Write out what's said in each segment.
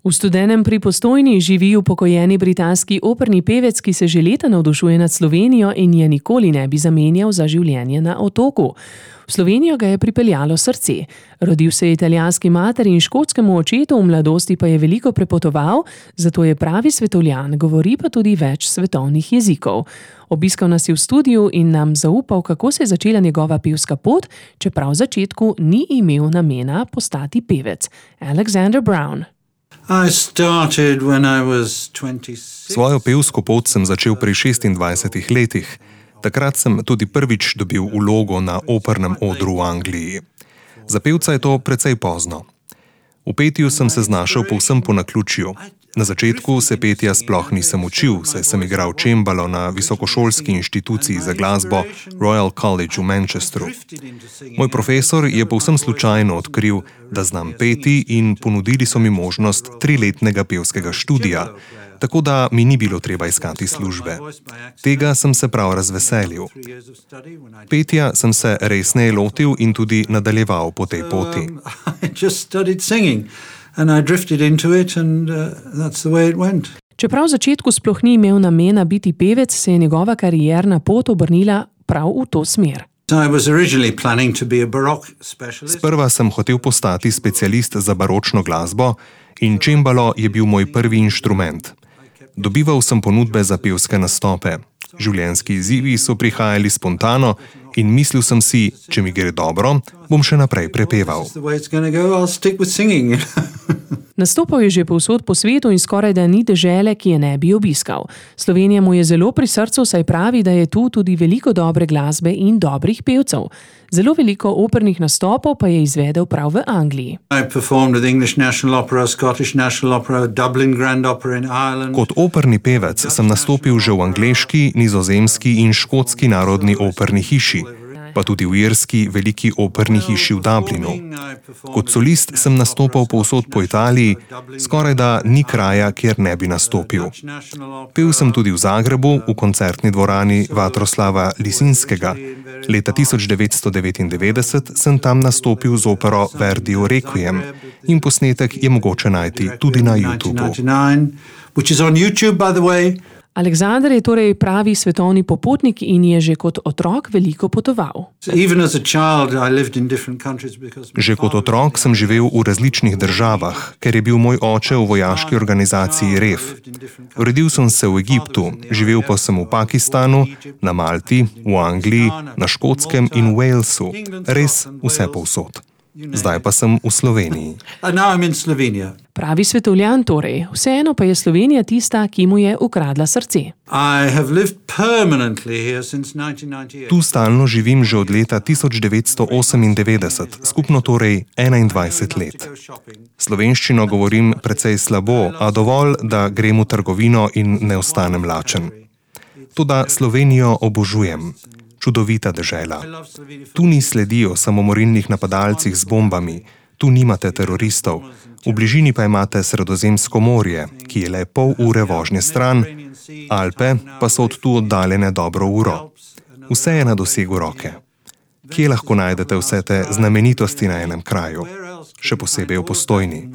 V Studenem pri Postojni živi upokojeni britanski operni pevec, ki se že leta navdušuje nad Slovenijo in je nikoli ne bi zamenjal za življenje na otoku. V Slovenijo ga je pripeljalo srce. Rodil se je italijanski materi in škotskemu očetu, v mladosti pa je veliko prepotoval, zato je pravi svetovljan, govori pa tudi več svetovnih jezikov. Obiskal nas je v studiu in nam zaupal, kako se je začela njegova pevska pot, čeprav v začetku ni imel namena postati pevec. Alexander Brown. Svojo pevsko pot sem začel pri 26 letih. Takrat sem tudi prvič dobil vlogo na opernem odru v Angliji. Za pevca je to precej pozno. V petju sem se znašel povsem po naključju. Na začetku se petja sploh nisem učil, saj sem igral čembalo na visokošolski inštituciji za glasbo Royal College v Manchesteru. Moj profesor je povsem slučajno odkril, da znam peti in ponudili so mi možnost 3-letnega pevskega študija, tako da mi ni bilo treba iskati službe. Tega sem se prav razveselil. Petja sem se resneje lotil in tudi nadaljeval po tej poti. Čeprav v začetku sploh ni imel namena biti pevec, se je njegova karierna pot obrnila prav v to smer. Sprva sem hotel postati specialist za baročno glasbo in čembalo je bil moj prvi inštrument. Dobival sem ponudbe za pevske nastope. Življenjski izzivi so prihajali spontano in mislil sem si, če mi gre dobro, bom še naprej prepeval. Nastopal je že povsod po svetu in skoraj da ni dežele, ki je ne bi obiskal. Slovenija mu je zelo pri srcu, saj pravi, da je tu tudi veliko dobre glasbe in dobrih pevcev. Zelo veliko opernih nastopov pa je izvedel prav v Angliji. Kot operni pevec sem nastopil že v angleški, nizozemski in škotski narodni operni hiši, pa tudi v irski veliki operni hiši v Dublinu. Kot solist sem nastopal povsod po Italiji, skorajda ni kraja, kjer ne bi nastopil. Pel sem tudi v Zagrebu, v koncertni dvorani Vatroslava Lisinskega. Leta 1999 sem tam nastopil z opero Verdijev Requiem in posnetek je mogoče najti tudi na YouTubu. Alexander je torej pravi svetovni popotnik in je že kot otrok veliko potoval. Že kot otrok sem živel v različnih državah, ker je bil moj oče v vojaški organizaciji REF. Rodil sem se v Egiptu, živel pa sem v Pakistanu, na Malti, v Angliji, na Škotskem in v Walesu. Res vse povsod. Zdaj pa sem v Sloveniji. Pravi svetovljan torej, vseeno pa je Slovenija tista, ki mu je ukradla srce. Tu stalno živim že od leta 1998, skupno torej 21 let. Slovenščino govorim precej slabo, a dovolj, da grem v trgovino in ne ostanem lačen. Toda Slovenijo obožujem. Čudovita dežela. Tu ni sledi o samomorilnih napadalcih z bombami, tu nimate teroristov, v bližini pa imate Sredozemsko morje, ki je le pol ure vožnje stran, Alpe pa so od tu oddaljene dobro uro. Vse je na dosegu roke. Kje lahko najdete vse te znamenitosti na enem kraju? Še posebej v Postojni.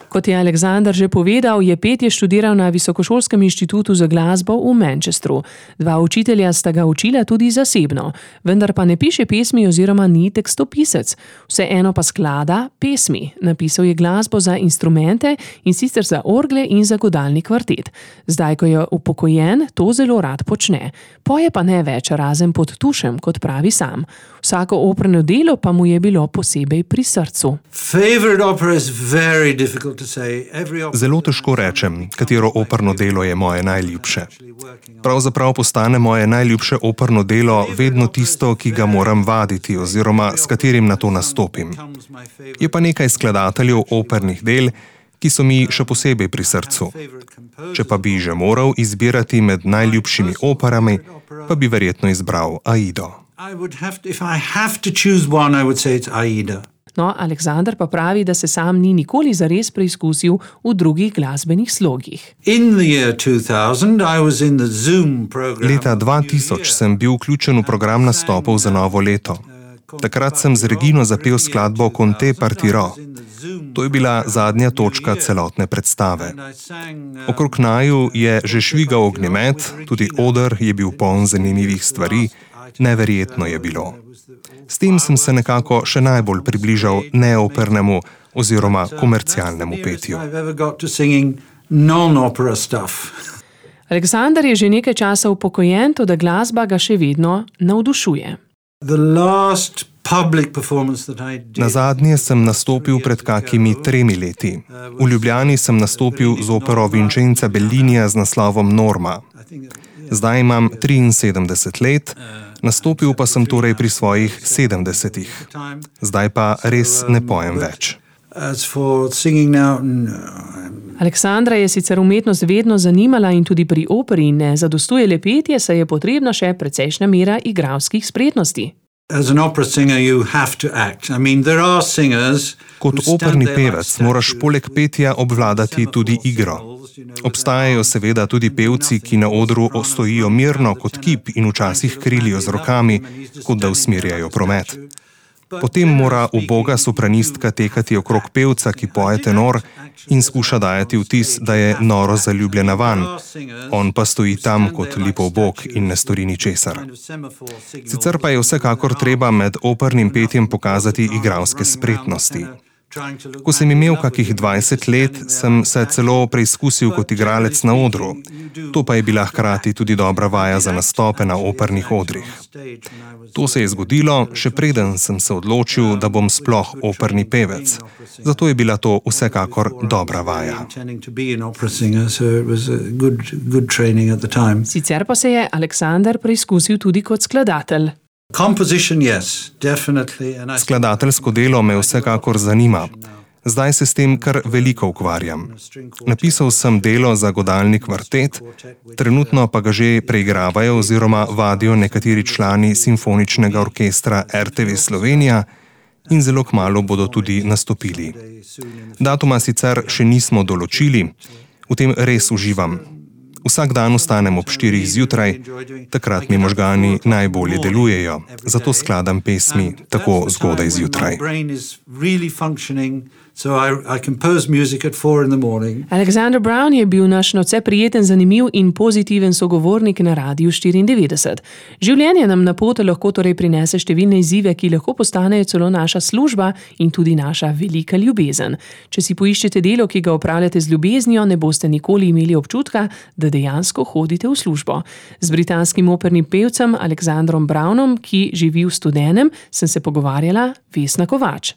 Kot je Alexander že povedal, je petje študiral na Visokošolskem inštitutu za glasbo v Manchesteru. 2 učitelja sta ga učila tudi zasebno, vendar pa ne piše pesmi oziroma ni tekstopisec. Vseeno pa sklada pesmi. Napisal je glasbo za instrumente in sicer za orgle in za godalni kvartet. Zdaj, ko je upokojen, to zelo rad počne. Poje pa ne več, razen pod tušem, kot pravi sam. Vsako operno delo pa mu je bilo posebej pri srcu. Zelo težko rečem, katero operno delo je moje najljubše. Pravzaprav postane moje najljubše operno delo vedno tisto, ki ga moram vaditi oziroma s katerim na to nastopim. Je pa nekaj skladateljev opernih del, ki so mi še posebej pri srcu. Če pa bi že moral izbirati med najljubšimi operami, pa bi verjetno izbral Aido. No, Alexander pa pravi, da se sam ni nikoli zares preizkusil v drugih glasbenih slogih. Leta 2000 sem bil vključen v program nastopov za novo leto. Takrat sem z Regino zapel skladbo Conte partiro. To je bila zadnja točka celotne predstave. Okrog naju je že švigal ognjemet, tudi oder je bil poln zanimivih stvari, neverjetno je bilo. S tem sem se nekako še najbolj približal neopernemu oziroma komercialnemu petju. Aleksander je že nekaj časa upokojen, toda glasba ga še vedno navdušuje. Nazadnje sem nastopil pred kakimi 3 leti. V Ljubljani sem nastopil z opero Vincenza Bellinija z naslovom Norma. Zdaj imam 73 let, nastopil pa sem torej pri svojih 70. Zdaj pa res ne pojem več. Aleksandra je sicer umetnost vedno zanimala in tudi pri operi ne zadostuje le petje, saj je potrebna še precejšnja mera igralskih spretnosti. Kot operni pevec moraš poleg petja obvladati tudi igro. Obstajajo seveda tudi pevci, ki na odru stojijo mirno kot kip in včasih krilijo z rokami, kot da usmerjajo promet. Potem mora uboga sopranistka tekati okrog pevca, ki poje tenor, in skuša dajati vtis, da je noro zaljubljena vanj. On pa stoji tam kot lipov bog in ne stori ničesar. Sicer pa je vsekakor treba med opernim petjem pokazati igralske spretnosti. Ko sem imel kakih 20 let, sem se celo preizkusil kot igralec na odru. To pa je bila hkrati tudi dobra vaja za nastope na opernih odrih. To se je zgodilo, še preden sem se odločil, da bom sploh operni pevec. Zato je bila to vsekakor dobra vaja. Sicer pa se je Aleksander preizkusil tudi kot skladatelj. Skladateljsko delo me vsekakor zanima. Zdaj se s tem kar veliko ukvarjam. Napisal sem delo za godalni kvartet, trenutno pa ga že preigravajo oziroma vadijo nekateri člani simfoničnega orkestra RTV Slovenija in zelo kmalu bodo tudi nastopili. Datuma sicer še nismo določili, v tem res uživam. Vsak dan vstanem ob 4 zjutraj, takrat mi možgani najbolje delujejo, zato skladam pesmi tako zgodaj zjutraj. Alexander Brown je bil naš nadvse prijeten, zanimiv in pozitiven sogovornik na Radiu 94. Življenje nam na pot lahko torej prinese številne izzive, ki lahko postanejo celo naša služba in tudi naša velika ljubezen. Če si poiščete delo, ki ga opravljate z ljubeznijo, ne boste nikoli imeli občutka, da dejansko hodite v službo. Z britanskim opernim pevcem Alexandrom Brownom, ki živi v Studenem, sem se pogovarjala Vesna Kovač.